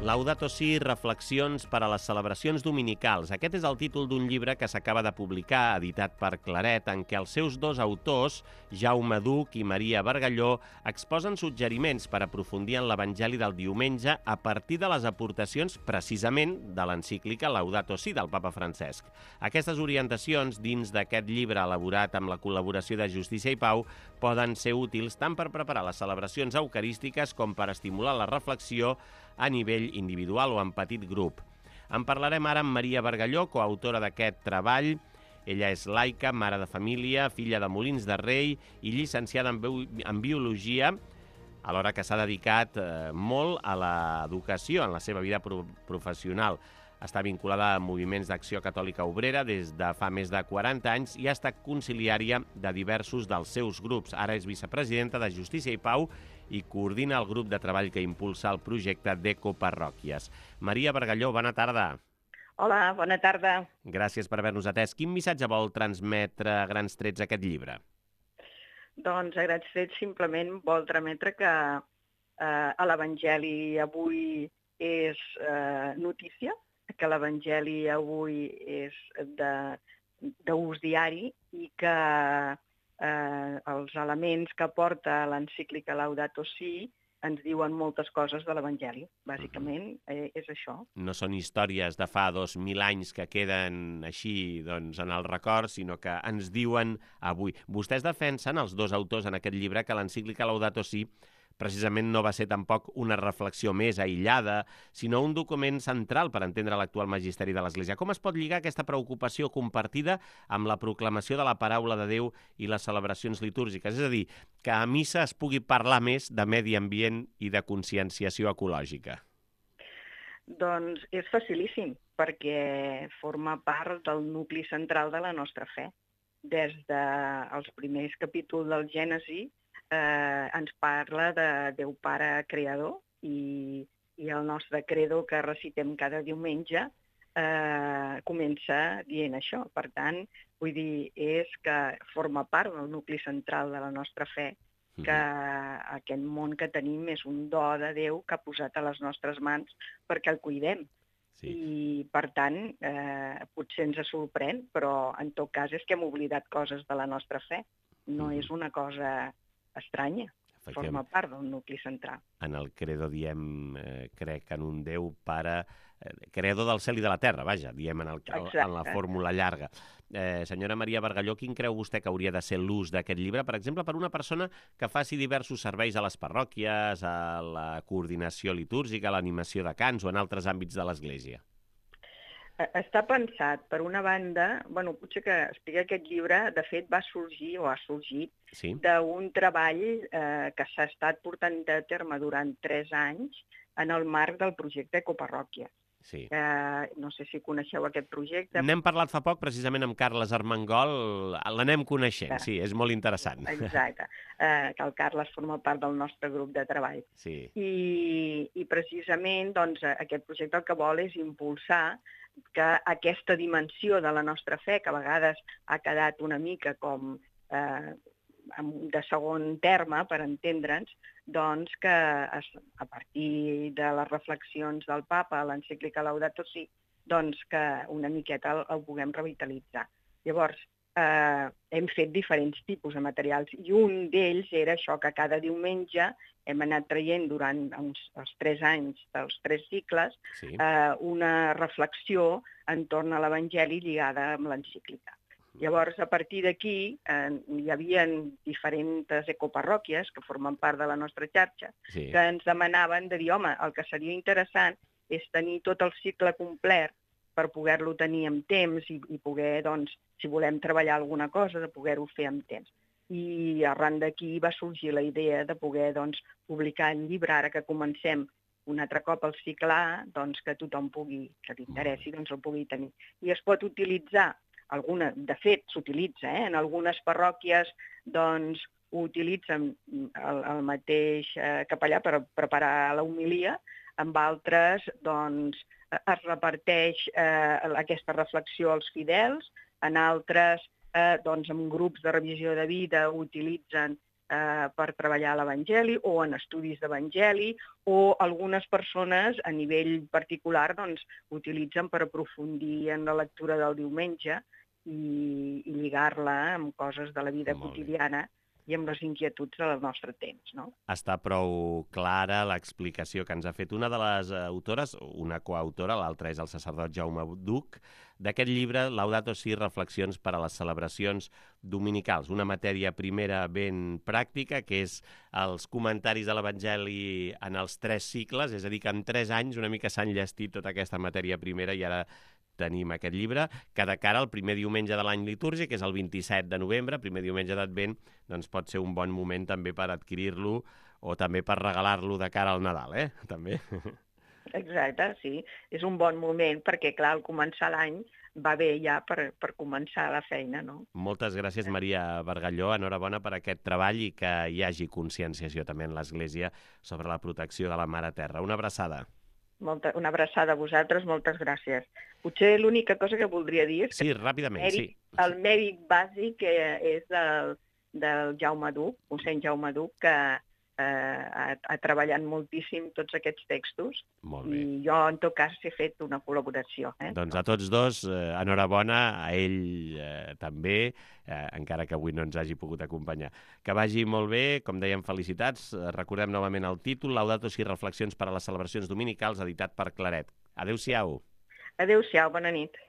Laudato Si, reflexions per a les celebracions dominicals. Aquest és el títol d'un llibre que s'acaba de publicar, editat per Claret, en què els seus dos autors, Jaume Duch i Maria Bargalló, exposen suggeriments per aprofundir en l'Evangeli del diumenge a partir de les aportacions, precisament, de l'encíclica Laudato Si del papa Francesc. Aquestes orientacions, dins d'aquest llibre elaborat amb la col·laboració de Justícia i Pau, poden ser útils tant per preparar les celebracions eucarístiques com per estimular la reflexió a nivell individual o en petit grup. En parlarem ara amb Maria Bargalló, coautora d'aquest treball. Ella és laica, mare de família, filla de Molins de Rei i llicenciada en Biologia, alhora que s'ha dedicat molt a l'educació en la seva vida professional. Està vinculada a moviments d'acció catòlica obrera des de fa més de 40 anys i ha estat conciliària de diversos dels seus grups. Ara és vicepresidenta de Justícia i Pau i coordina el grup de treball que impulsa el projecte d'Ecoparròquies. Maria Bargalló, bona tarda. Hola, bona tarda. Gràcies per haver-nos atès. Quin missatge vol transmetre a grans trets aquest llibre? Doncs a grans trets simplement vol transmetre que l'Evangeli avui és notícia, que l'Evangeli avui és d'ús diari i que els elements que porta l'encíclica Laudato Si ens diuen moltes coses de l'Evangeli. Bàsicament és això. No són històries de fa 2.000 anys que queden així en el record, sinó que ens diuen avui. Vostès defensen, els dos autors en aquest llibre, que l'encíclica Laudato Si precisament no va ser tampoc una reflexió més aïllada, sinó un document central per entendre l'actual magisteri de l'Església. Com es pot lligar aquesta preocupació compartida amb la proclamació de la paraula de Déu i les celebracions litúrgiques? És a dir, que a missa es pugui parlar més de medi ambient i de conscienciació ecològica. Doncs és facilíssim, perquè forma part del nucli central de la nostra fe. Des dels primers capítols del Gènesi ens parla de Déu Pare Creador i el nostre credo que recitem cada diumenge comença dient això. Per tant, vull dir, és que forma part del nucli central de la nostra fe, que aquest món que tenim és un do de Déu que ha posat a les nostres mans perquè el cuidem. Sí. I, per tant, potser ens sorprèn, però en tot cas és que hem oblidat coses de la nostra fe. No és una cosa estranya, forma part del nucli central. En el credo diem, crec en un Déu Pare, creador del cel i de la terra, vaja, diem en la fórmula llarga. Senyora Maria Bargalló, quin creu vostè que hauria de ser l'ús d'aquest llibre, per exemple, per una persona que faci diversos serveis a les parròquies, a la coordinació litúrgica, a l'animació de cants o en altres àmbits de l'Església? Està pensat, per una banda, potser que explica aquest llibre, de fet va sorgir o ha sorgit d'un treball que s'ha estat portant a terme durant 3 anys en el marc del projecte Ecoparròquies. Sí. No sé si coneixeu aquest projecte. N'hem parlat fa poc, precisament amb Carles Armengol, l'anem coneixent, sí, és molt interessant. Exacte, que el Carles forma part del nostre grup de treball. Sí. I precisament aquest projecte el que vol és impulsar que aquesta dimensió de la nostra fe, que a vegades ha quedat una mica com de segon terme, per entendre'ns, doncs que a partir de les reflexions del papa, l'encíclica Laudato Si, doncs que una miqueta el puguem revitalitzar. Llavors, hem fet diferents tipus de materials i un d'ells era això, que cada diumenge hem anat traient durant els 3 anys dels 3 cicles una reflexió entorn a l'Evangeli lligada amb l'encíclica. Llavors, a partir d'aquí, hi havia diferents ecoparròquies que formen part de la nostra xarxa que ens demanaven de dir, home, el que seria interessant és tenir tot el cicle complet per poder-lo tenir amb temps i poder, doncs, si volem treballar alguna cosa, de poder-ho fer amb temps. I arran d'aquí va sorgir la idea de poder, doncs, publicar el llibre, ara que comencem un altre cop el cicle A, doncs, que tothom pugui, que t'interessi, doncs el pugui tenir. I es pot utilitzar, de fet s'utilitza, en algunes parròquies, doncs, ho utilitzen el mateix capellà per preparar l'homilia, amb altres, doncs, es reparteix aquesta reflexió als fidels, en altres, doncs, en grups de revisió de vida utilitzen per treballar l'Evangeli o en estudis d'Evangeli, o algunes persones a nivell particular doncs, utilitzen per aprofundir en la lectura del diumenge i lligar-la amb coses de la vida quotidiana i amb les inquietuds del nostre temps, no? Està prou clara l'explicació que ens ha fet una de les autores, una coautora, l'altra és el sacerdot Jaume Duch, d'aquest llibre, Laudato Si, reflexions per a les celebracions dominicals, una matèria primera ben pràctica, que és els comentaris de l'Evangeli en els 3 cicles, és a dir, que en 3 anys una mica s'han llestit tota aquesta matèria primera i ara tenim aquest llibre, que de cara al primer diumenge de l'any litúrgic, que és el 27 de novembre, primer diumenge d'Advent, doncs pot ser un bon moment també per adquirir-lo o també per regalar-lo de cara al Nadal, també. Exacte, sí. És un bon moment perquè, clar, al començar l'any va bé ja per començar la feina, no? Moltes gràcies, Maria Bargalló. Enhorabona per aquest treball i que hi hagi conscienciació també en l'Església sobre la protecció de la Mare Terra. Una abraçada. Una abraçada a vosaltres, moltes gràcies. Potser l'única cosa que voldria dir és que ràpidament, el mèrit bàsic és del Jaume Duch, mossèn Jaume Duch, que ha treballat moltíssim tots aquests textos i jo, en tot cas, he fet una col·laboració. Doncs a tots dos, enhorabona, a ell també, encara que avui no ens hagi pogut acompanyar. Que vagi molt bé, com dèiem, felicitats. Recordem novament el títol, Laudato Si, reflexions per a les celebracions dominicals, editat per Claret. Adéu-siau. Adéu-siau, bona nit.